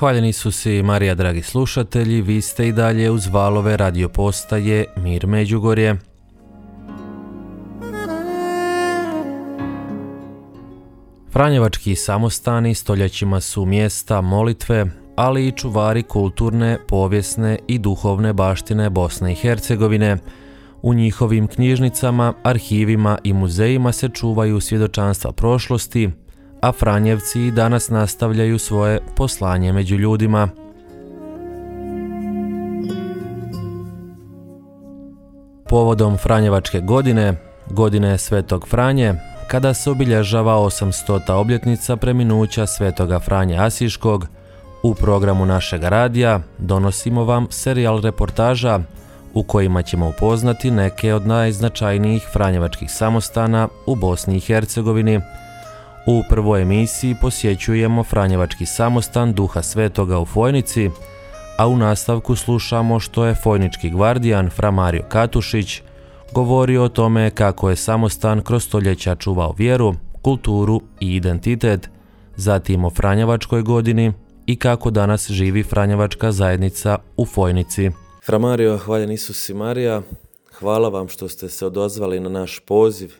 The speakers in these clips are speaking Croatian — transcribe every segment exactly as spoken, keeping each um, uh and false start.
Hvaljeni Isus i Marija, dragi slušatelji, vi ste i dalje uz valove radio postaje Mir Međugorje. Franjevački samostani stoljećima su mjesta molitve, ali i čuvari kulturne, povijesne i duhovne baštine Bosne i Hercegovine. U njihovim knjižnicama, arhivima i muzejima se čuvaju svjedočanstva prošlosti, a Franjevci i danas nastavljaju svoje poslanje među ljudima. Povodom Franjevačke godine, godine Svetog Franje, kada se obilježava osamstota obljetnica preminuća Svetoga Franje Asiškog, u programu našega radija donosimo vam serijal reportaža u kojima ćemo upoznati neke od najznačajnijih franjevačkih samostana u Bosni i Hercegovini. U prvoj emisiji posjećujemo franjevački samostan Duha Svetoga u Fojnici, a u nastavku slušamo što je fojnički gvardijan Fra Mario Katušić govorio o tome kako je samostan kroz stoljeća čuvao vjeru, kulturu i identitet, zatim o Franjevačkoj godini i kako danas živi franjevačka zajednica u Fojnici. Fra Mario, hvaljen Isus i Marija, hvala vam što ste se odozvali na naš poziv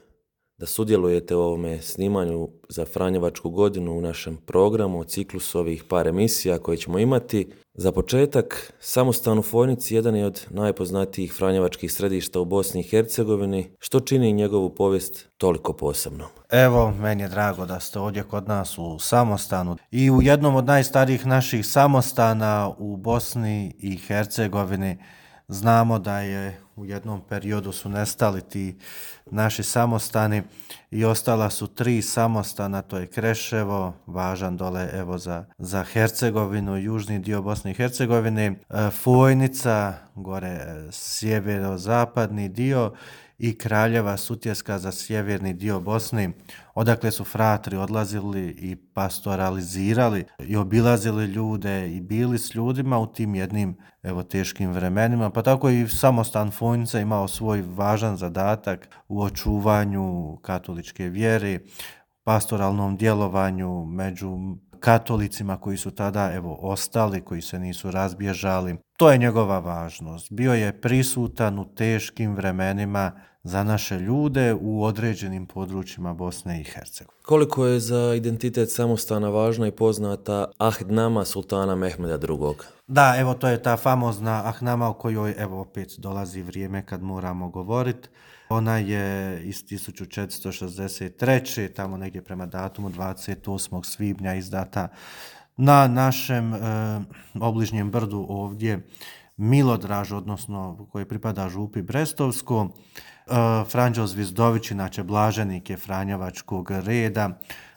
da sudjelujete u ovome snimanju za Franjevačku godinu u našem programu, o ciklusu ovih par emisija koje ćemo imati. Za početak, samostan u Fojnici jedan je od najpoznatijih franjevačkih središta u Bosni i Hercegovini, što čini njegovu povijest toliko posebnom. Evo, meni je drago da ste ovdje kod nas u samostanu i u jednom od najstarijih naših samostana u Bosni i Hercegovini. Znamo da je u jednom periodu su nestali ti naši samostani i ostala su tri samostana, to je Kreševo, važan dole evo za, za Hercegovinu, južni dio Bosne i Hercegovine, Fojnica, gore sjeverozapadni dio i Kraljeva Sutjeska za sjeverni dio Bosne, odakle su fratri odlazili i pastoralizirali i obilazili ljude i bili s ljudima u tim jednim evo teškim vremenima. Pa tako i samostan Fojnica imao svoj važan zadatak u očuvanju katoličke vjere, pastoralnom djelovanju među katolicima koji su tada evo ostali, koji se nisu razbježali. To je njegova važnost. Bio je prisutan u teškim vremenima za naše ljude u određenim područjima Bosne i Hercegovine. Koliko je za identitet samostana važna i poznata Ahdnama sultana Mehmeda drugog? Da, evo to je ta famozna Ahnama o kojoj evo opet dolazi vrijeme kad moramo govoriti. Ona je iz tisuću četiristo šezdeset treće. tamo negdje prema datumu dvadeset osmog svibnja izdata na našem e, obližnjem brdu ovdje Milodraž, odnosno koji pripada župi Brestovsko. E, Franđo Zvizdović, inače blaženik je franjevačkog reda,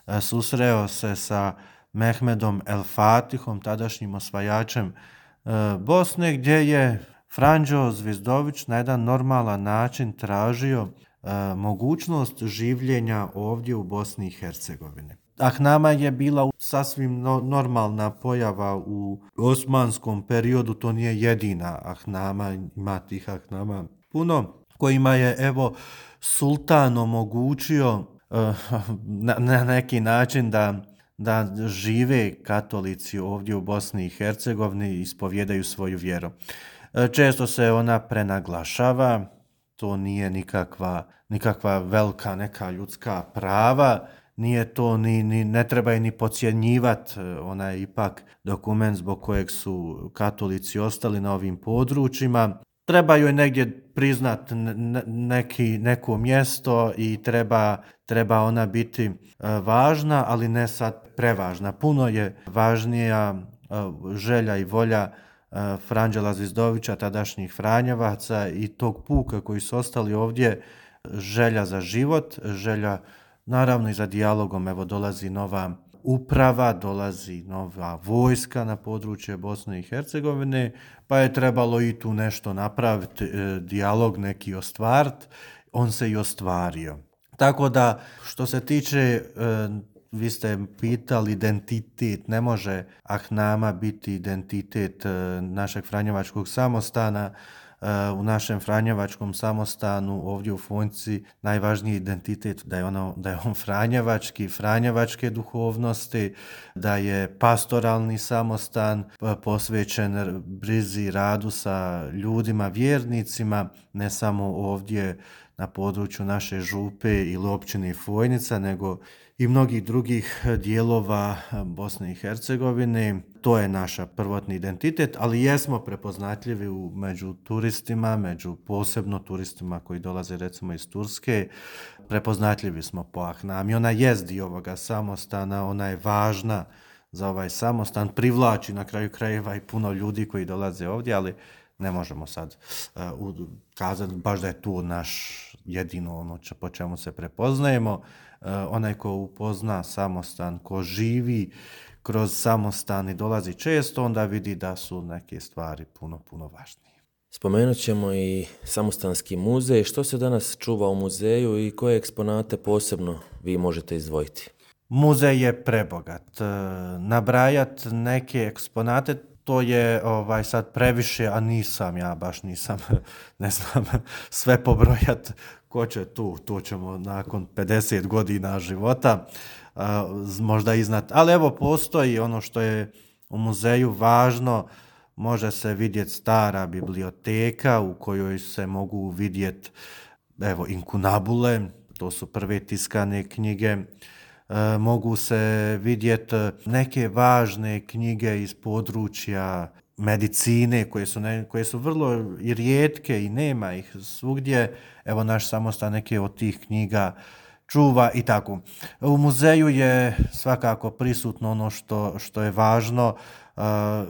e, susreo se sa Mehmedom El Fatihom, tadašnjim osvajačem e, Bosne, gdje je Franđo Zvizdović na jedan normalan način tražio e, mogućnost življenja ovdje u Bosni i Hercegovini. Ahnama je bila sasvim no, normalna pojava u osmanskom periodu, to nije jedina Ahnama, ima tih Ahnama puno, kojima je evo sultan omogućio e, na, na neki način da da žive katolici ovdje u Bosni i Hercegovini i ispovjedaju svoju vjeru. Često se ona prenaglašava, to nije nikakva, nikakva velika neka ljudska prava, nije to ni, ni ne treba je ni podcjenjivati, ona je ipak dokument zbog kojeg su katolici ostali na ovim područjima. Treba joj negdje priznat neki, neko mjesto i treba, treba ona biti važna, ali ne sad prevažna. Puno je važnija želja i volja Franđela Zvizdovića, tadašnjih Franjevaca i tog puka koji su ostali ovdje, želja za život, želja naravno i za dijalogom. Evo dolazi nova uprava, dolazi nova vojska na područje Bosne i Hercegovine, pa je trebalo i tu nešto napraviti, e, dijalog neki ostvariti, on se i ostvario. Tako da što se tiče, e, vi ste pitali identitet, ne može Ahnama biti identitet e, našeg franjevačkog samostana. u našem franjevačkom samostanu ovdje u Fonjci najvažniji identitet da je, ono, da je on franjevački, franjevačke duhovnosti, da je pastoralni samostan posvećen brizi, radu sa ljudima, vjernicima, ne samo ovdje na području naše župe ili općine Fojnica, nego i mnogih drugih dijelova Bosne i Hercegovine. To je naša prvotni identitet, ali jesmo prepoznatljivi u, među turistima, među posebno turistima koji dolaze recimo iz Turske. Prepoznatljivi smo po Ahnami. Ona jest dio ovoga samostana, ona je važna za ovaj samostan, privlači na kraju krajeva i puno ljudi koji dolaze ovdje, ali ne možemo sad uh, kazati baš da je tu naš jedino ono če, po čemu se prepoznajemo. Uh, onaj ko upozna samostan, ko živi kroz samostan i dolazi često, onda vidi da su neke stvari puno, puno važnije. Spomenut ćemo i samostanski muzej. Što se danas čuva u muzeju i koje eksponate posebno vi možete izdvojiti? Muzej je prebogat. Uh, nabrajat neke eksponate, to je ovaj sad previše, a nisam, ja baš nisam, ne znam, sve pobrojat. Ko će tu, tu ćemo nakon pedeset godina života uh, možda iznad. Ali evo, postoji ono što je u muzeju važno, može se vidjeti stara biblioteka u kojoj se mogu vidjeti evo inkunabule, to su prve tiskane knjige. E, mogu se vidjeti neke važne knjige iz područja medicine koje su, ne, koje su vrlo i rijetke i nema ih svugdje. Evo naš samostan neke od tih knjiga čuva i tako. U muzeju je svakako prisutno ono što, što je važno uh,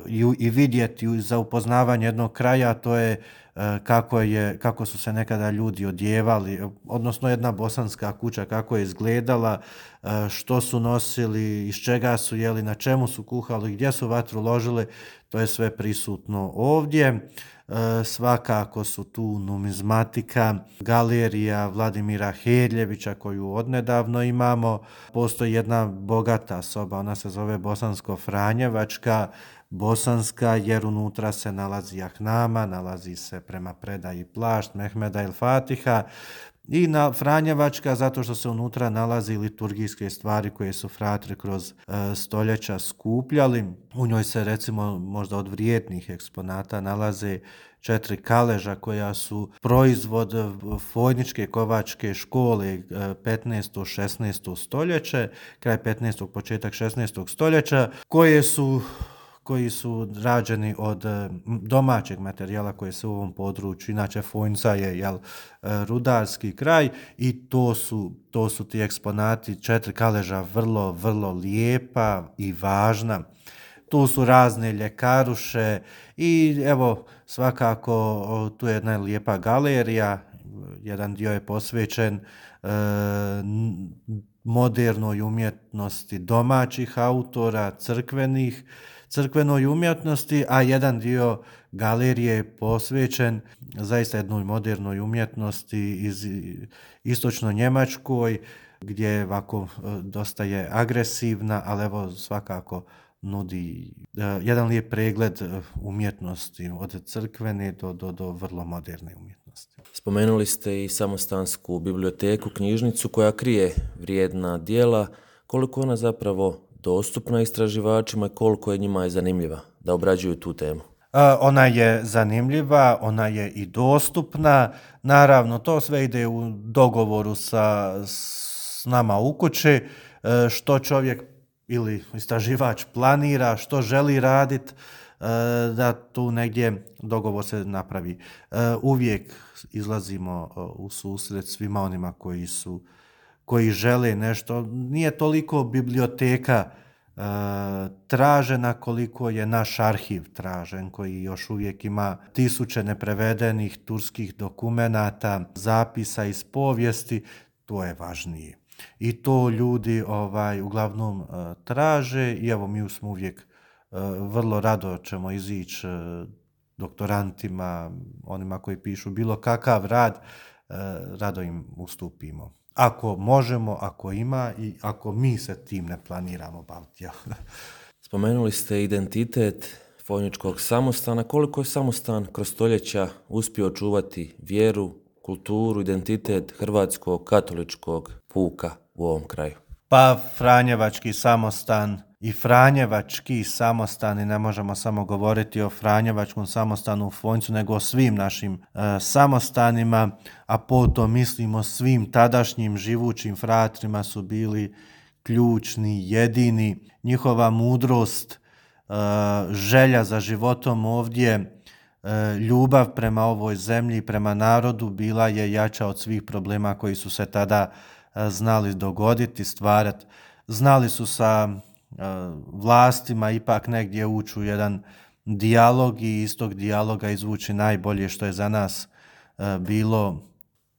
i, i vidjeti za upoznavanje jednog kraja, to je uh, kako, je, kako su se nekada ljudi odjevali, odnosno jedna bosanska kuća kako je izgledala, uh, što su nosili, iz čega su jeli, na čemu su kuhali, gdje su vatru ložili, to je sve prisutno ovdje. E, svakako su tu numizmatika, galerija Vladimira Hedljevića koju odnedavno imamo. Postoji jedna bogata soba, ona se zove Bosansko-Franjevačka, bosanska jer unutra se nalazi Ahnama, nalazi se prema predaji plašt Mehmeda el Fatiha, i na Franjevačka zato što se unutra nalazi liturgijske stvari koje su fratri kroz e, stoljeća skupljali. U njoj se recimo možda od vrijednih eksponata nalaze četiri kaleža koja su proizvod Fojničke kovačke škole petnaesto šesnaesto stoljeće, kraj petnaestog početak šesnaestog stoljeća, koje su koji su rađeni od domaćeg materijala koje se u ovom području, inače Fojnica je jel, rudarski kraj i to su, to su ti eksponati, četiri kaleža vrlo, vrlo lijepa i važna. Tu su razne ljekaruše i evo svakako tu je jedna lijepa galerija, jedan dio je posvećen e, modernoj umjetnosti domaćih autora, crkvenih, crkvenoj umjetnosti, a jedan dio galerije je posvećen zaista jednoj modernoj umjetnosti iz istočno-njemačkoj, gdje je ovako dosta je agresivna, ali evo svakako nudi uh, jedan lijep pregled umjetnosti od crkvene do, do, do vrlo moderne umjetnosti. Spomenuli ste i samostansku biblioteku, knjižnicu koja krije vrijedna djela. Koliko ona zapravo dostupna istraživačima i koliko je njima je zanimljiva da obrađuju tu temu? Ona je zanimljiva, ona je i dostupna. Naravno, to sve ide u dogovoru sa s nama u kući, što čovjek ili istraživač planira, što želi raditi, da tu negdje dogovor se napravi. Uvijek izlazimo u susret svima onima koji su koji žele nešto. Nije toliko biblioteka e, tražena koliko je naš arhiv tražen, koji još uvijek ima tisuće neprevedenih turskih dokumenata, zapisa iz povijesti, to je važnije. I to ljudi ovaj uglavnom e, traže i evo mi smo uvijek e, vrlo rado ćemo izići e, doktorantima, onima koji pišu bilo kakav rad, e, rado im ustupimo. Ako možemo, ako ima i ako mi se tim ne planiramo baviti. Spomenuli ste identitet Fojničkog samostana, koliko je samostan kroz stoljeća uspio čuvati vjeru, kulturu, identitet hrvatskog katoličkog puka u ovom kraju? Pa Franjevački samostan i Franjevački samostani, ne možemo samo govoriti o Franjevačkom samostanu u Fojnicu, nego o svim našim e, samostanima, a potom mislimo svim tadašnjim živućim fratrima su bili ključni, jedini. Njihova mudrost, e, želja za životom ovdje, e, ljubav prema ovoj zemlji, prema narodu bila je jača od svih problema koji su se tada e, znali dogoditi, stvarati. Znali su sa e, vlastima ipak negdje ući u jedan dijalog i iz tog dijaloga izvući najbolje što je za nas e, bilo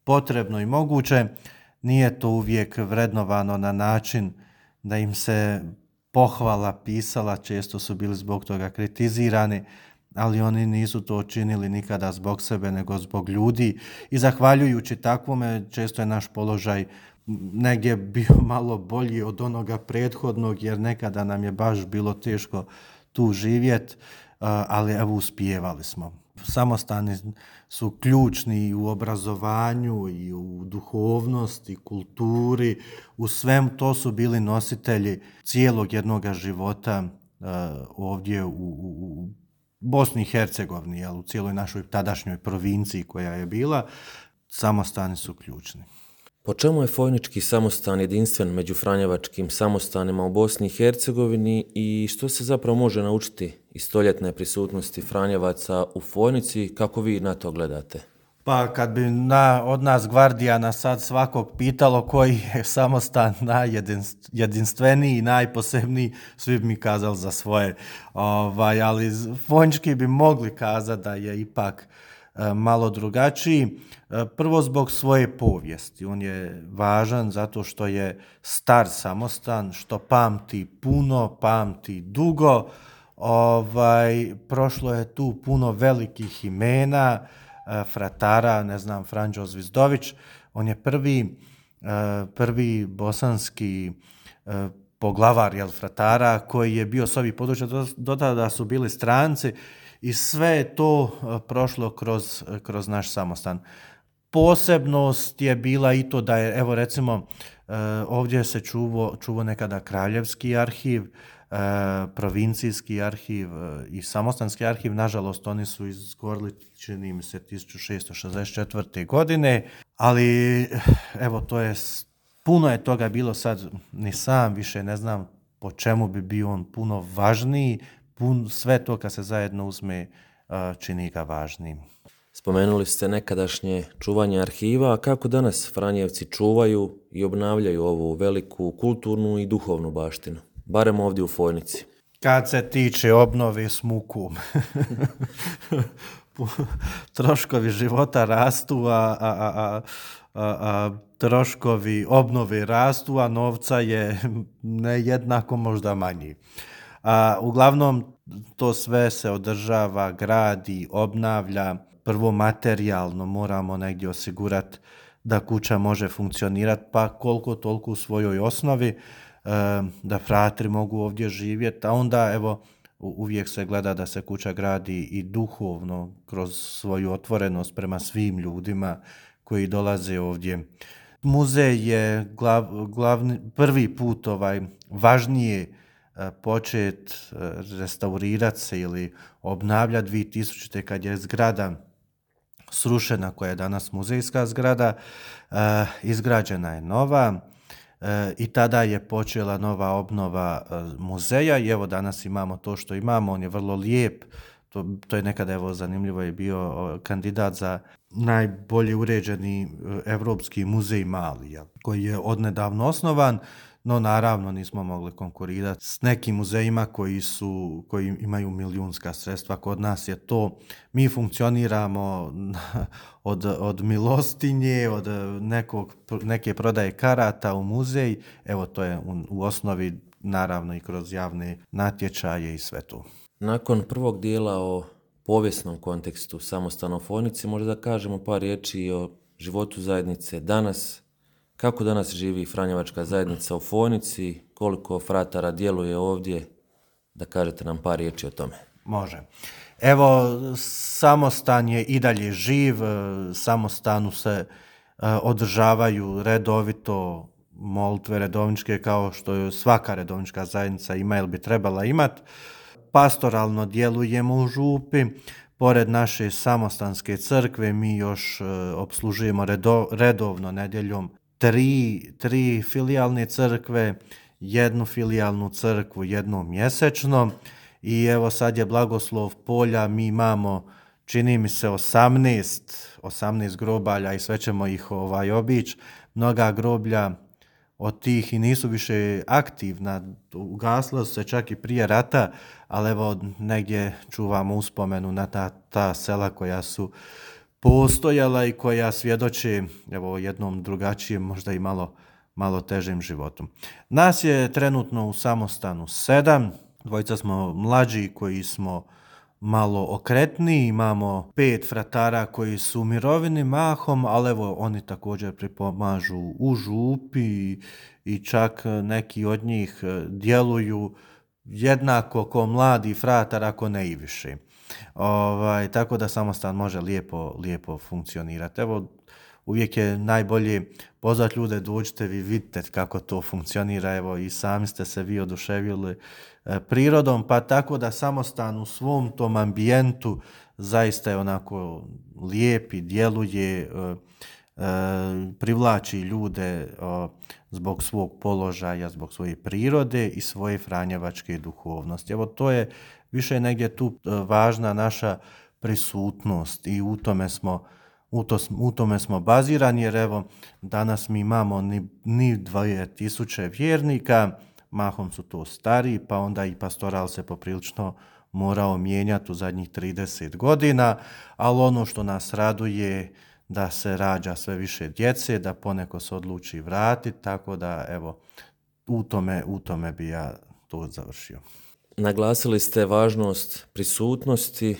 potrebno i moguće. Nije to uvijek vrednovano na način da im se pohvala pisala, često su bili zbog toga kritizirani, ali oni nisu to činili nikada zbog sebe, nego zbog ljudi i zahvaljujući takvome često je naš položaj negdje bio malo bolji od onoga prethodnog, jer nekada nam je baš bilo teško tu živjeti, ali evo uspijevali smo. Samostani su ključni u obrazovanju i u duhovnosti, kulturi, u svem to su bili nositelji cijelog jednoga života uh, ovdje u, u, u Bosni i Hercegovini, jel, u cijeloj našoj tadašnjoj provinciji koja je bila. Samostani su ključni. Po čemu je Fojnički samostan jedinstven među franjevačkim samostanima u Bosni i Hercegovini i što se zapravo može naučiti iz stoljetne prisutnosti Franjevaca u Fojnici, kako vi na to gledate? Pa kad bi na, od nas gvardijana sad svakog pitalo koji je samostan najjedinstveniji i najposebniji, svi bi mi kazali za svoje. Ovaj, ali Fojnički bi mogli kazati da je ipak malo drugačiji. Prvo zbog svoje povijesti. On je važan zato što je star samostan, što pamti puno, pamti dugo. Ovaj, prošlo je tu puno velikih imena, fratara, ne znam, Franđo Zvizdović. On je prvi, prvi bosanski poglavar, jel, fratara, koji je bio s ovih područja, do tada su bili stranci. I sve je to prošlo kroz, kroz naš samostan. Posebnost je bila i to da je, evo recimo, ovdje se čuvo, čuvo nekada kraljevski arhiv, provincijski arhiv i samostanski arhiv. Nažalost, oni su izgorili, čini mi se, tisuću šesto šezdeset četvrte. godine, ali evo, to je, puno je toga bilo sad, ni sam više ne znam po čemu bi bio on puno važniji. Pun, sve to kad se zajedno uzme čini ga važnim. Spomenuli ste nekadašnje čuvanje arhiva, a kako danas Franjevci čuvaju i obnavljaju ovu veliku kulturnu i duhovnu baštinu, barem ovdje u Fojnici? Kad se tiče obnove s mukom, troškovi života rastu, a, a, a, a, a troškovi obnove rastu, a novca je nejednako možda manji. A, uglavnom, to sve se održava, gradi, obnavlja. Prvo materijalno moramo negdje osigurati da kuća može funkcionirati, pa koliko toliko u svojoj osnovi, e, da fratri mogu ovdje živjeti, a onda evo uvijek se gleda da se kuća gradi i duhovno kroz svoju otvorenost prema svim ljudima koji dolaze ovdje. Muzej je glav, glavni, prvi put ovaj, važnije počet restaurirati se ili obnavljati dvije tisućite. kad je zgrada srušena, koja je danas muzejska zgrada, izgrađena je nova i tada je počela nova obnova muzeja i evo danas imamo to što imamo. On je vrlo lijep, to, to je nekada evo zanimljivo je bio kandidat za najbolje uređeni Evropski muzej Mali, koji je odnedavno osnovan. No naravno nismo mogli konkurirati s nekim muzejima koji su, koji imaju milijunska sredstva. Kod nas je to, mi funkcioniramo od, od milostinje, od nekog, neke prodaje karata u muzej. Evo to je u, u osnovi naravno i kroz javne natječaje i sve to. Nakon prvog dijela o povijesnom kontekstu samostana u Fojnici, možda da kažemo par riječi o životu zajednice danas. Kako danas živi Franjevačka zajednica u Fojnici, koliko fratara djeluje ovdje, da kažete nam par riječi o tome. Može. Evo, samostan je i dalje živ, samostanu se održavaju redovito molitve redovničke kao što svaka redovnička zajednica ima ili bi trebala imati. Pastoralno djelujemo u župi. Pored naše samostanske crkve mi još opslužujemo redo, redovno nedjeljom tri, tri filijalne crkve, jednu filijalnu crkvu jednom mjesečno i evo sad je blagoslov polja, mi imamo čini mi se osamnaest, osamnaest grobalja i sve ćemo ih ovaj, obići. Mnoga groblja od tih i nisu više aktivna, ugasla su se čak i prije rata, ali evo negdje čuvamo uspomenu na ta, ta sela koja su postojala i koja svjedoče evo, jednom drugačijem, možda i malo, malo težim životom. Nas je trenutno u samostanu sedam, dvojica smo mlađi koji smo malo okretniji, imamo pet fratara koji su u mirovini mahom, ali evo oni također pripomažu u župi i čak neki od njih djeluju jednako ko mladi fratar, ako ne i više. Ovaj, tako da samostan može lijepo, lijepo funkcionirati. Evo, uvijek je najbolje pozvati ljude, dođite vi, vidite kako to funkcionira, evo i sami ste se vi oduševili e, prirodom, pa tako da samostan u svom tom ambijentu zaista je onako lijepi, djeluje, e, e, privlači ljude e, zbog svog položaja, zbog svoje prirode i svoje franjevačke duhovnosti. Evo to je više negdje tu e, važna naša prisutnost i u tome smo U, to, u tome smo bazirani, jer evo danas mi imamo ni, ni dvije tisuće vjernika, mahom su to stariji, pa onda i pastoral se poprilično morao mijenjati u zadnjih trideset godina, ali ono što nas raduje da se rađa sve više djece, da poneko se odluči vratiti, tako da evo u tome, u tome bi ja to završio. Naglasili ste važnost prisutnosti.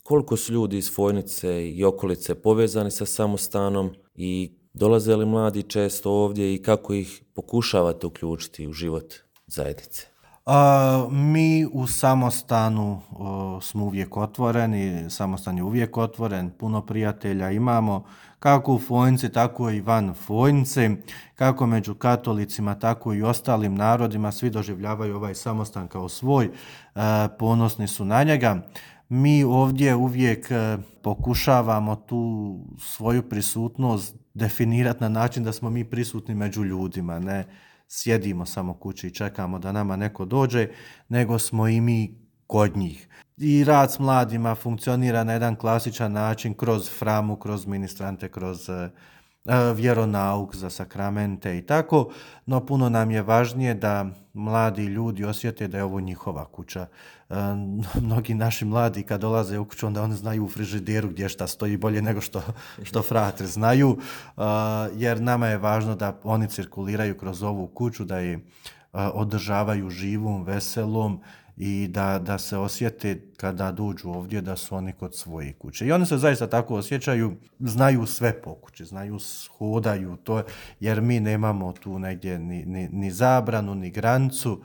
Koliko su ljudi iz Fojnice i okolice povezani sa samostanom i dolaze li mladi često ovdje i kako ih pokušavate uključiti u život zajednice? A, mi u samostanu o, smo uvijek otvoreni, samostan je uvijek otvoren, puno prijatelja imamo, kako u Fojnici, tako i van Fojnice, kako među katolicima, tako i ostalim narodima, svi doživljavaju ovaj samostan kao svoj, a, ponosni su na njega. Mi ovdje uvijek pokušavamo tu svoju prisutnost definirati na način da smo mi prisutni među ljudima, ne sjedimo samo kući i čekamo da nama neko dođe, nego smo i mi kod njih. I rad s mladima funkcionira na jedan klasičan način kroz framu, kroz ministrante, kroz vjeronauk za sakramente i tako, no puno nam je važnije da mladi ljudi osjete da je ovo njihova kuća. E, mnogi naši mladi kad dolaze u kuću, onda oni znaju u frižideru gdje šta stoji bolje nego što, što fratri znaju, e, jer nama je važno da oni cirkuliraju kroz ovu kuću, da je e, održavaju živom, veselom i da, da se osjete kada dođu ovdje da su oni kod svoje kuće. I oni se zaista tako osjećaju, znaju sve po kući, znaju, hodaju to, jer mi nemamo tu negdje ni, ni, ni zabranu, ni granicu,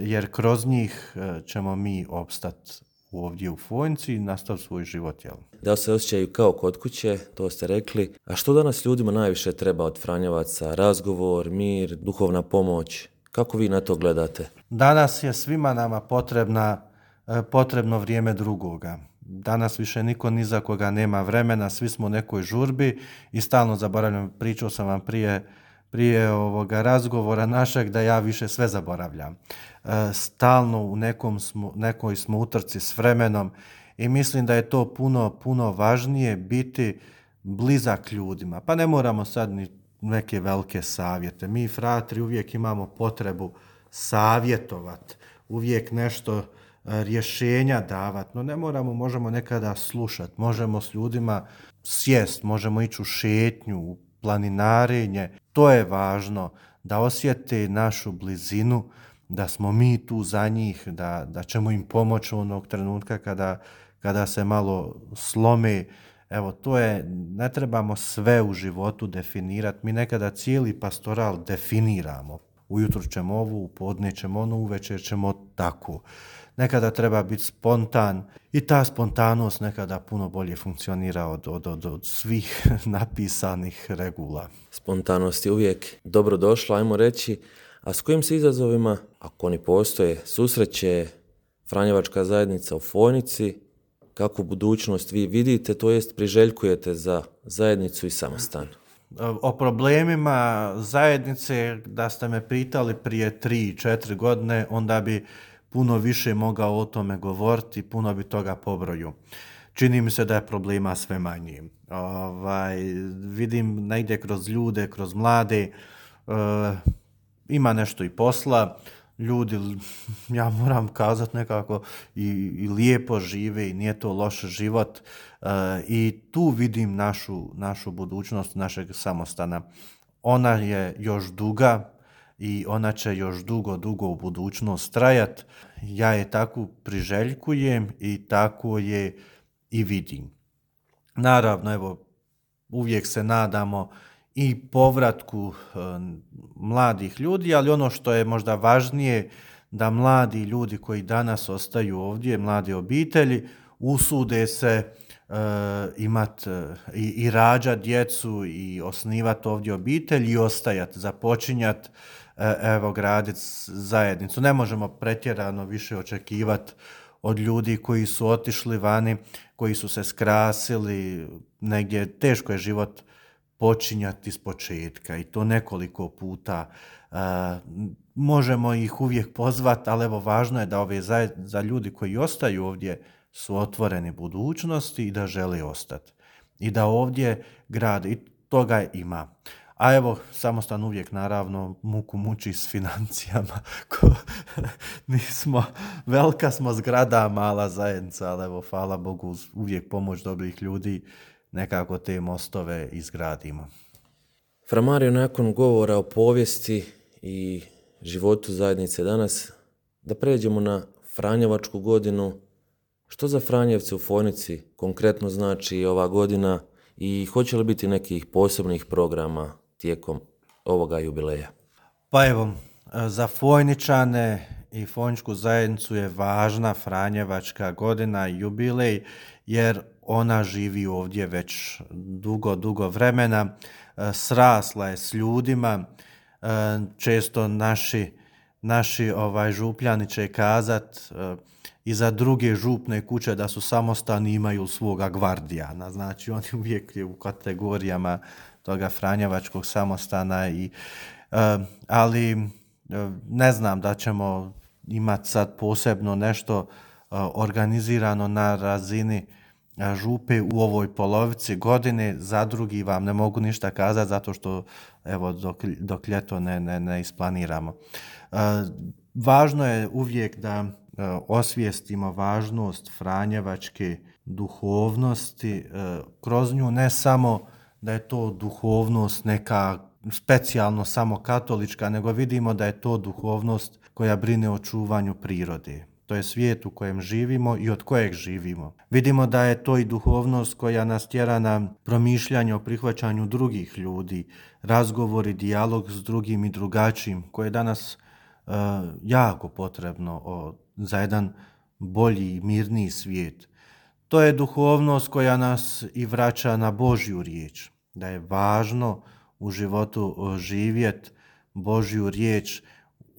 jer kroz njih ćemo mi opstati ovdje u Fojnici i nastaviti svoj život. Jel? Da se osjećaju kao kod kuće, to ste rekli. A što danas ljudima najviše treba od franjevaca? Razgovor, mir, duhovna pomoć? Kako vi na to gledate? Danas je svima nama potrebna, potrebno vrijeme drugoga. Danas više niko ni za koga nema vremena, svi smo u nekoj žurbi i stalno zaboravljam, pričao sam vam prije, prije ovoga razgovora našeg da ja više sve zaboravljam. Stalno u nekom smo, nekoj smo utrci s vremenom i mislim da je to puno, puno važnije biti blizak ljudima. Pa ne moramo sad ni neke velike savjete. Mi fratri uvijek imamo potrebu savjetovati, uvijek nešto rješenja davati, no ne moramo, možemo nekada slušati, možemo s ljudima sjest, možemo ići u šetnju, u planinarenje. To je važno, da osjete našu blizinu, da smo mi tu za njih, da, da ćemo im pomoći onog trenutka kada, kada se malo slome. Evo, to je, ne trebamo sve u životu definirati. Mi nekada cijeli pastoral definiramo. Ujutro ćemo ovu, u podne ćemo onu, uvečer ćemo tako. nekada treba biti spontan i ta spontanost nekada puno bolje funkcionira od, od, od, od svih napisanih regula. Spontanost je uvijek dobro došla, ajmo reći, a s kojim se izazovima, ako oni postoje, susreće Franjevačka zajednica u Fojnici, kakvu budućnost vi vidite, to jest priželjkujete za zajednicu i samostan? O problemima zajednice, da ste me pitali prije tri, četiri godine, onda bi puno više mogao o tome govoriti, puno bi toga pobroju. Čini mi se da je problema sve manje. Ovaj, vidim negdje kroz ljude, kroz mlade, uh, ima nešto i posla, ljudi, ja moram kazati nekako, i, i lijepo žive i nije to loš život. Uh, I tu vidim našu, našu budućnost, našeg samostana. Ona je još duga i ona će još dugo, dugo u budućnost trajat. Ja je tako priželjkujem i tako je i vidim. Naravno, evo, uvijek se nadamo i povratku e, mladih ljudi, ali ono što je možda važnije, da mladi ljudi koji danas ostaju ovdje, mlade obitelji, usude se e, imat e, i, i rađat djecu i osnivat ovdje obitelj i ostajat, započinjat, e, evo, gradit zajednicu. Ne možemo pretjerano više očekivati od ljudi koji su otišli vani, koji su se skrasili, negdje teško je život počinjati iz početka i to nekoliko puta. E, možemo ih uvijek pozvati, ali evo, važno je da ove zajed, za ljudi koji ostaju ovdje su otvoreni budućnosti i da žele ostati. I da ovdje grade, i toga ima. A evo, samostan uvijek naravno muku muči s financijama. Ko, nismo, velika smo zgrada, mala zajednica, ali evo, hvala Bogu, uvijek pomoć dobrih ljudi, nekako te mostove izgradimo. Fra Mario, nakon govora o povijesti i životu zajednice danas, da pređemo na Franjevačku godinu. Što za Franjevce u Fojnici konkretno znači ova godina i hoće li biti nekih posebnih programa tijekom ovoga jubileja? Pa evo, za Fojničane i Fojničku zajednicu je važna Franjevačka godina i jubilej, jer ona živi ovdje već dugo, dugo vremena, srasla je s ljudima, često naši, naši ovaj, župljani će kazat i za druge župne kuće da su samostani imaju svoga gvardijana, znači oni uvijek je u kategorijama toga Franjevačkog samostana, i, ali ne znam da ćemo imati sad posebno nešto organizirano na razini župe u ovoj polovici godine. Za drugi vam ne mogu ništa kazati zato što evo dok, dok ljeto ne, ne, ne isplaniramo. E, važno je uvijek da e, osvijestimo važnost franjevačke duhovnosti, e, kroz nju ne samo da je to duhovnost neka specijalno samo katolička, nego vidimo da je to duhovnost koja brine o čuvanju prirode. To je svijet u kojem živimo i od kojeg živimo. Vidimo da je to i duhovnost koja nas tjera na promišljanje o prihvaćanju drugih ljudi, razgovor i dijalog s drugim i drugačijim, koje je danas uh, jako potrebno o, za jedan bolji i mirniji svijet. To je duhovnost koja nas i vraća na Božju riječ, da je važno u životu živjeti Božju riječ,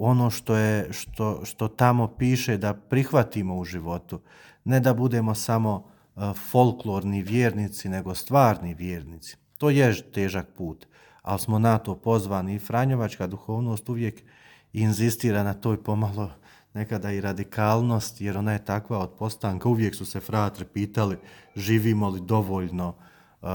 ono što je što, što tamo piše da prihvatimo u životu, ne da budemo samo uh, folklorni vjernici, nego stvarni vjernici. To je težak put, ali smo na to pozvani i franjevačka duhovnost uvijek inzistira na toj pomalo nekada i radikalnost, jer ona je takva od postanka. Uvijek su se fratri pitali živimo li dovoljno uh,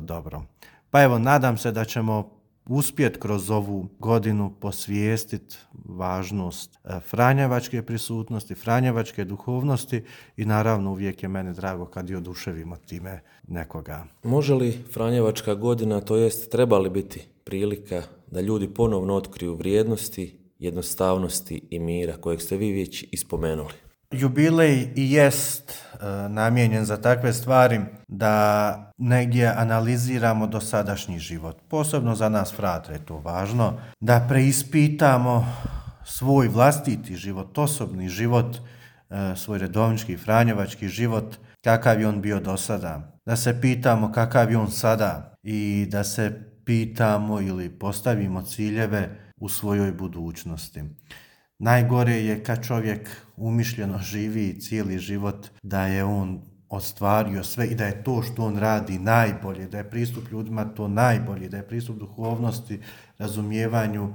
dobro. Pa evo, nadam se da ćemo uspjeti kroz ovu godinu posvijestiti važnost franjevačke prisutnosti, franjevačke duhovnosti i naravno uvijek je meni drago kad i oduševimo time nekoga. Može li Franjevačka godina, to jest treba li biti prilika da ljudi ponovno otkriju vrijednosti, jednostavnosti i mira kojeg ste vi već ispomenuli? Jubilej i jest e, namijenjen za takve stvari da negdje analiziramo dosadašnji život. Posebno za nas fratre je to važno. Da preispitamo svoj vlastiti život, osobni život, svoj redovnički franjevački život, kakav je on bio do sada. Da se pitamo kakav je on sada i da se pitamo ili postavimo ciljeve u svojoj budućnosti. Najgore je kad čovjek umišljeno živi cijeli život da je on ostvario sve i da je to što on radi najbolje, da je pristup ljudima to najbolje, da je pristup duhovnosti, razumijevanju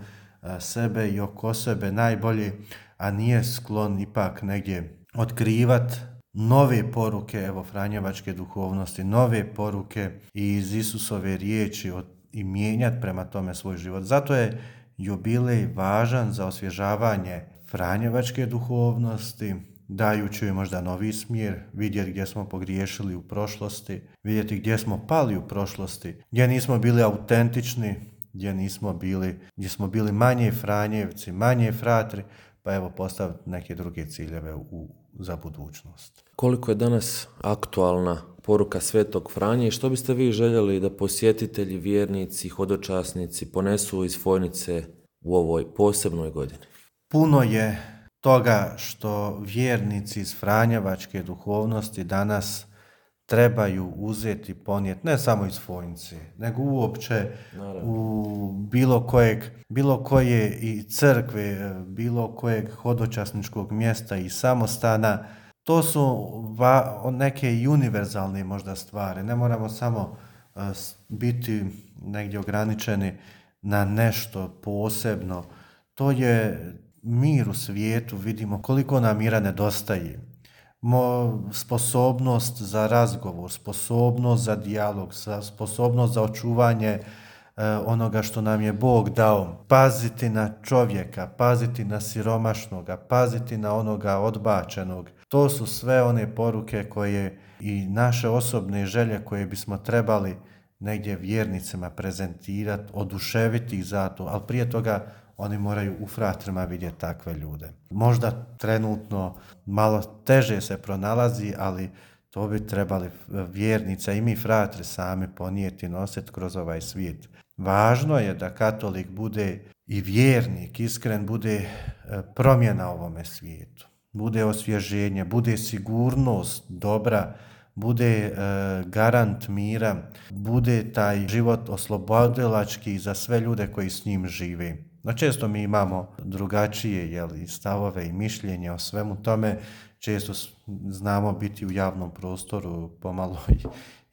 sebe i oko sebe najbolje, a nije sklon ipak negdje otkrivat nove poruke evo franjevačke duhovnosti, nove poruke iz Isusove riječi i mijenjati prema tome svoj život. Zato je jubilej važan za osvježavanje franjevačke duhovnosti, dajući joj možda novi smjer, vidjeti gdje smo pogriješili u prošlosti, vidjeti gdje smo pali u prošlosti, gdje nismo bili autentični, gdje nismo bili, gdje smo bili manje franjevci, manje fratri, pa evo postaviti neke druge ciljeve u, za budućnost. Koliko je danas aktualna poruka Svetog Franje i što biste vi željeli da posjetitelji, vjernici, hodočasnici ponesu iz Fojnice u ovoj posebnoj godini? Puno je toga što vjernici iz franjevačke duhovnosti danas trebaju uzeti, ponijeti, ne samo iz Fojnice, nego uopće Naravno. u bilo kojeg, bilo koje i crkve, bilo kojeg hodočasničkog mjesta i samostana. To su va, neke i univerzalne možda stvari. Ne moramo samo uh, biti negdje ograničeni na nešto posebno. To je mir u svijetu, vidimo koliko nam mira nedostaje. Mo, sposobnost za razgovor, sposobnost za dijalog, sposobnost za očuvanje e, onoga što nam je Bog dao. Paziti na čovjeka, paziti na siromašnoga, paziti na onoga odbačenog. To su sve one poruke koje i naše osobne želje koje bismo trebali negdje vjernicima prezentirati, oduševiti ih za to, ali prije toga oni moraju u fratrima vidjeti takve ljude. Možda trenutno malo teže se pronalazi, ali to bi trebali vjernica i mi fratri sami ponijeti, nositi kroz ovaj svijet. Važno je da katolik bude i vjernik, iskren, bude promjena ovome svijetu. Bude osvježenje, bude sigurnost dobra, bude e, garant mira, bude taj život oslobodilački za sve ljude koji s njim žive. No često mi imamo drugačije jeli, stavove i mišljenje o svemu tome, često znamo biti u javnom prostoru pomalo i,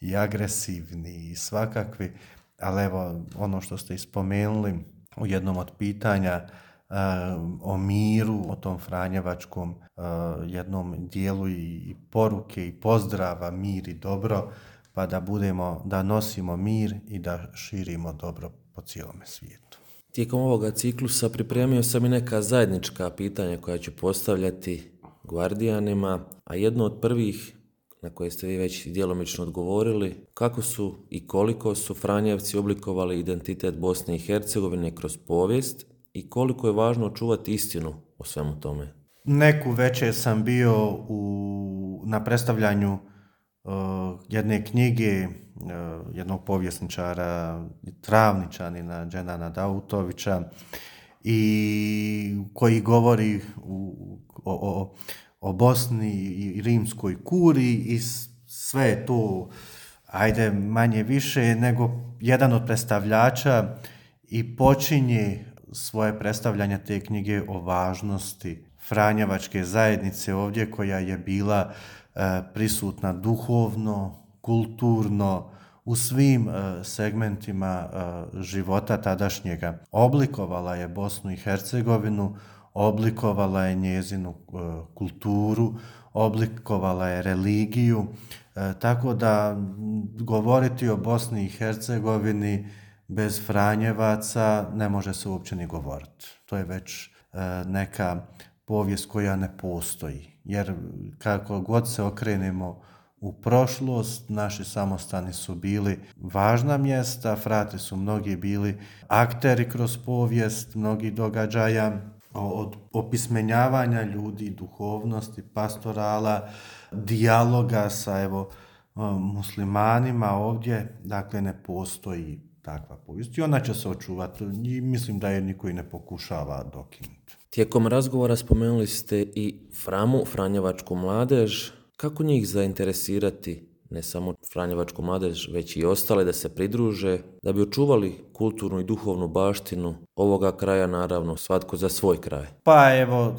i agresivni i svakakvi, ali evo ono što ste ispomenuli u jednom od pitanja uh, o miru, o tom franjevačkom uh, jednom dijelu i, i poruke i pozdrava, mir i dobro, pa da budemo, da nosimo mir i da širimo dobro po cijelome svijetu. Tijekom ovoga ciklusa pripremio sam i neka zajednička pitanja koja ću postavljati gvardijanima, a jedno od prvih na koje ste vi već djelomično odgovorili, kako su i koliko su Franjevci oblikovali identitet Bosne i Hercegovine kroz povijest i koliko je važno čuvati istinu o svemu tome? Neku večer sam bio u, na predstavljanju uh, jedne knjige uh, jednog povjesničara, travničanina Dženana Dautovića, i koji govori u, o, o, o Bosni i rimskoj kuriji i sve je to, ajde manje više, nego jedan od predstavljača i počinje svoje predstavljanje te knjige o važnosti Franjevačke zajednice ovdje, koja je bila e, prisutna duhovno, kulturno, u svim e, segmentima e, života tadašnjega. Oblikovala je Bosnu i Hercegovinu, oblikovala je njezinu e, kulturu, oblikovala je religiju, e, tako da govoriti o Bosni i Hercegovini bez Franjevaca ne može se uopće ni govoriti. To je već e, neka povijest koja ne postoji, jer kako god se okrenemo u prošlost, naši samostani su bili važna mjesta, frati su mnogi bili akteri kroz povijest, mnogi događaja, od opismenjavanja ljudi, duhovnosti, pastorala, dijaloga sa evo muslimanima ovdje, dakle ne postoji takva povijest i ona će se očuvati i mislim da je niko i ne pokušava dokinuti. Tijekom razgovora spomenuli ste i Framu, Franjevačku mladež. Kako njih zainteresirati, ne samo Franjevačku mladež, već i ostale da se pridruže, da bi očuvali kulturnu i duhovnu baštinu ovoga kraja, naravno svatko za svoj kraj? Pa evo,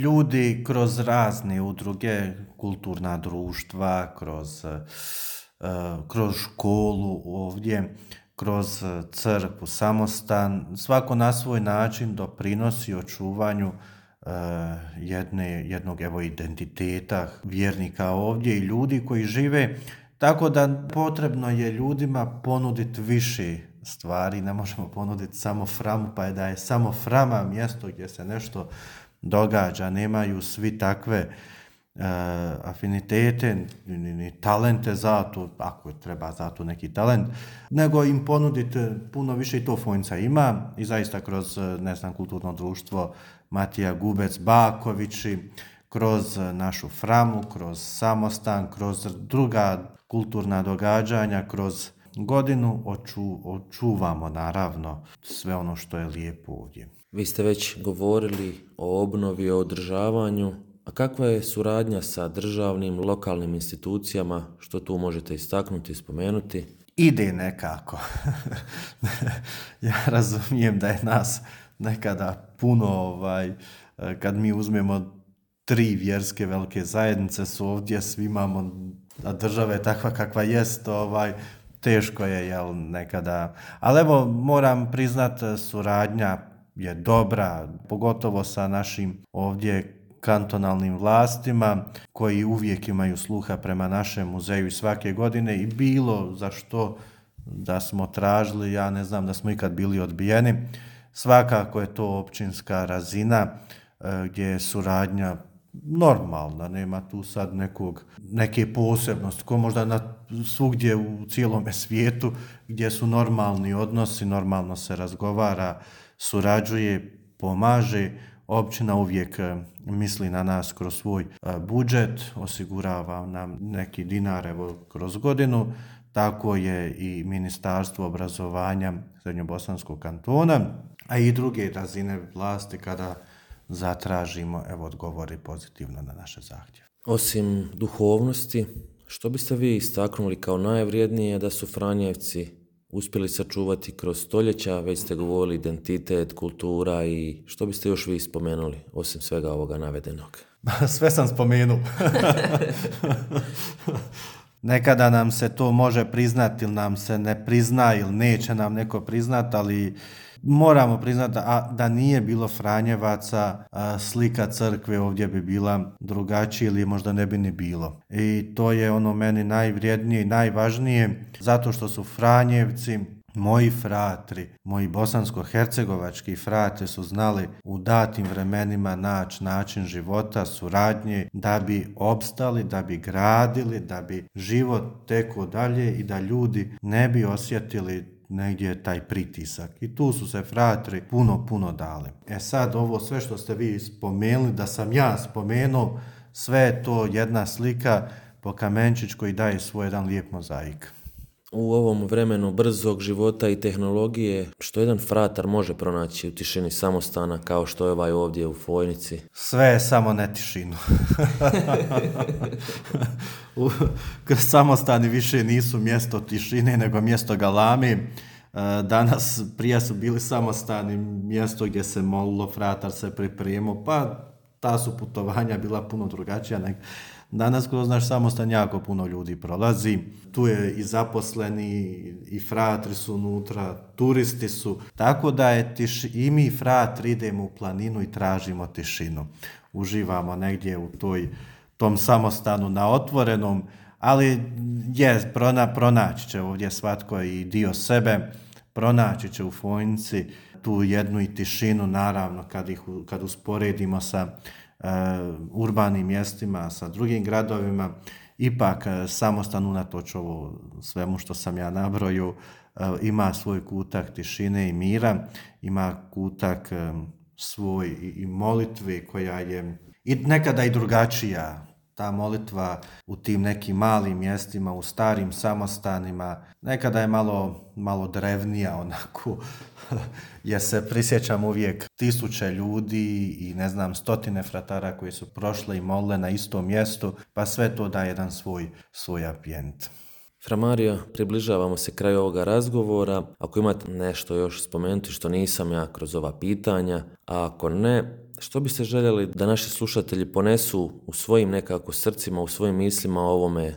ljudi kroz razne udruge, kulturna društva, kroz, kroz školu ovdje, kroz crkvu, samostan, svako na svoj način doprinosi očuvanju jedne, jednog evo identiteta vjernika ovdje i ljudi koji žive, tako da potrebno je ljudima ponuditi više stvari, ne možemo ponuditi samo Framu, pa je da je samo Frama mjesto gdje se nešto događa, nemaju svi takve uh, afinitete ni, ni talente za to, ako treba za to neki talent, nego im ponuditi puno više i to Fojnica ima i zaista kroz, ne znam, kulturno društvo Matija Gubec Bakovići, kroz našu Framu, kroz samostan, kroz druga kulturna događanja, kroz godinu oču, očuvamo naravno sve ono što je lijepo ovdje. Vi ste već govorili o obnovi, o održavanju, a kakva je suradnja sa državnim, lokalnim institucijama, što tu možete istaknuti i spomenuti? Ide nekako. Ja razumijem da je nas nekada puno, ovaj, kad mi uzmemo tri vjerske velike zajednice su ovdje, svi imamo, a država je takva kakva jest, ovaj, teško je, jel, nekada. Ali evo, moram priznat, suradnja je dobra, pogotovo sa našim ovdje kantonalnim vlastima, koji uvijek imaju sluha prema našem muzeju svake godine i bilo za što da smo tražili, ja ne znam da smo ikad bili odbijeni. Svakako je to općinska razina gdje je suradnja normalna, nema tu sad nekog, neke posebnosti, ko možda na svugdje u cijelome svijetu gdje su normalni odnosi, normalno se razgovara, surađuje, pomaže. Općina uvijek misli na nas kroz svoj budžet, osigurava nam neki dinar evo, kroz godinu, tako je i Ministarstvo obrazovanja Srednjobosanskog kantona, a i druge razine vlasti kada zatražimo, evo, odgovori pozitivno na naše zahtjeve. Osim duhovnosti, što biste vi istaknuli kao najvrijednije da su Franjevci uspjeli sačuvati kroz stoljeća? Već ste govorili identitet, kultura i što biste još vi spomenuli, osim svega ovoga navedenog? Sve sam spomenuo. Nekada nam se to može priznati ili nam se ne prizna ili neće nam neko priznati, ali moramo priznati da, da nije bilo Franjevaca, slika crkve ovdje bi bila drugačija ili možda ne bi ni bilo. I to je ono meni najvrijednije i najvažnije, zato što su Franjevci, moji fratri, moji bosansko-hercegovački fratri su znali u datim vremenima naći način života, suradnje, da bi opstali, da bi gradili, da bi život tekao dalje i da ljudi ne bi osjetili negdje taj pritisak. I tu su se fratri puno, puno dali. E sad, ovo sve što ste vi spomenuli, da sam ja spomenuo, sve je to jedna slika po kamenčić koji daje svoj jedan lijep mozaik. U ovom vremenu brzog života i tehnologije, što jedan fratar može pronaći u tišini samostana kao što je ovaj ovdje u Fojnici? Sve je samo ne tišinu. Samostani više nisu mjesto tišine nego mjesto galame. Danas prije su bili samostani mjesto gdje se molilo, fratar se pripremio, pa ta su putovanja bila puno drugačija nego danas. Kroz naš samostan jako puno ljudi prolazi, tu je i zaposleni i fratri su unutra, turisti su, tako da je tiš, i mi fratri idemo u planinu i tražimo tišinu. Uživamo negdje u toj, tom samostanu na otvorenom, ali je, prona, pronaći će ovdje svatko i dio sebe, pronaći će u Fojnici tu jednu i tišinu, naravno kad, ih, kad usporedimo sa Uh, urbanim mjestima, sa drugim gradovima, ipak uh, samostan unatoč ovo svemu što sam ja nabrojio, uh, ima svoj kutak tišine i mira, ima kutak um, svoj i, i molitve koja je i nekada i drugačija. ta molitva u tim nekim malim mjestima, u starim samostanima, nekada je malo, malo drevnija onako, jer se prisjećam uvijek tisuće ljudi i ne znam stotine fratara koji su prošle i molile na istom mjestu, pa sve to da jedan svoj, svoj ambijent. Fra Mario, približavamo se kraju ovoga razgovora. Ako imate nešto još spomenuti što nisam ja kroz ova pitanja, a ako ne, što biste željeli da naši slušatelji ponesu u svojim nekako srcima, u svojim mislima o ovome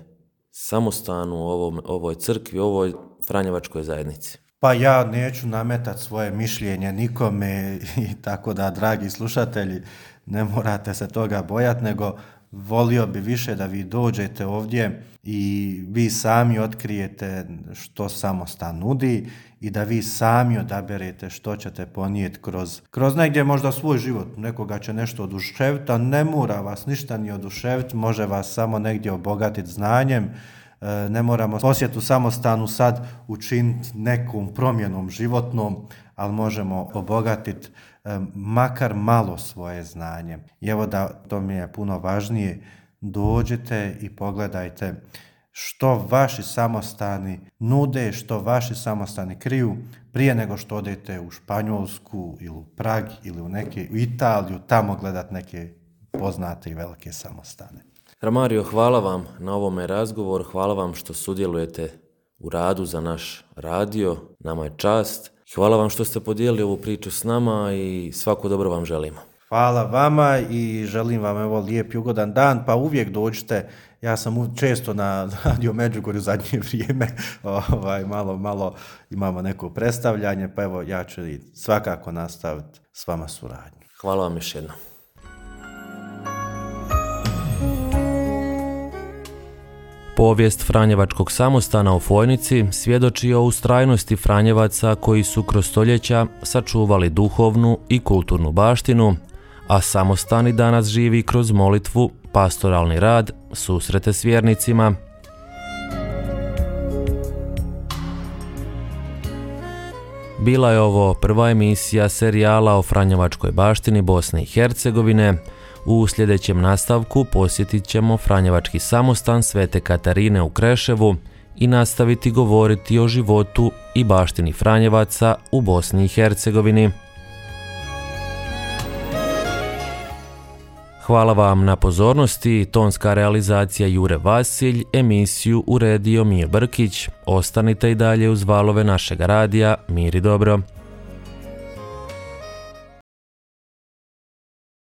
samostanu, o ovom, ovoj crkvi, o ovoj Franjevačkoj zajednici? Pa ja neću nametati svoje mišljenje nikome i tako da, dragi slušatelji, ne morate se toga bojati, nego volio bi više da vi dođete ovdje i vi sami otkrijete što samostan nudi i da vi sami odaberete što ćete ponijeti kroz, kroz negdje možda svoj život. Nekoga će nešto oduševiti, a ne mora vas ništa ni oduševiti, može vas samo negdje obogatiti znanjem. Ne moramo posjetu samostanu sad učiniti nekom promjenom životnom, ali možemo obogatiti makar malo svoje znanje. I evo da to mi je puno važnije, dođite i pogledajte što vaši samostani nude, što vaši samostani kriju prije nego što odete u Španjolsku ili u Prag ili u, neke, u Italiju, tamo gledat neke poznate i velike samostane. Fra Mario, hvala vam na ovome razgovoru, hvala vam što sudjelujete u radu za naš radio, nama je čast. Hvala vam što ste podijelili ovu priču s nama i svako dobro vam želimo. Hvala vama i želim vam evo lijep i ugodan dan, pa uvijek dođite. Ja sam često na Radio Međugorju zadnje vrijeme, ovaj, malo, malo imamo neko predstavljanje, pa evo ja ću svakako nastaviti s vama suradnju. Hvala vam još jednom. Povijest Franjevačkog samostana u Fojnici svjedoči o ustrajnosti Franjevaca koji su kroz stoljeća sačuvali duhovnu i kulturnu baštinu, a samostan i danas živi kroz molitvu, pastoralni rad, susrete s vjernicima. Bila je ovo prva emisija serijala o Franjevačkoj baštini Bosne i Hercegovine. U sljedećem nastavku posjetit ćemo Franjevački samostan Svete Katarine u Kreševu i nastaviti govoriti o životu i baštini Franjevaca u Bosni i Hercegovini. Hvala vam na pozornosti, tonska realizacija Jure Vasilj, emisiju uredio Mir Brkić. Ostanite i dalje uz valove našega radija. Mir i dobro.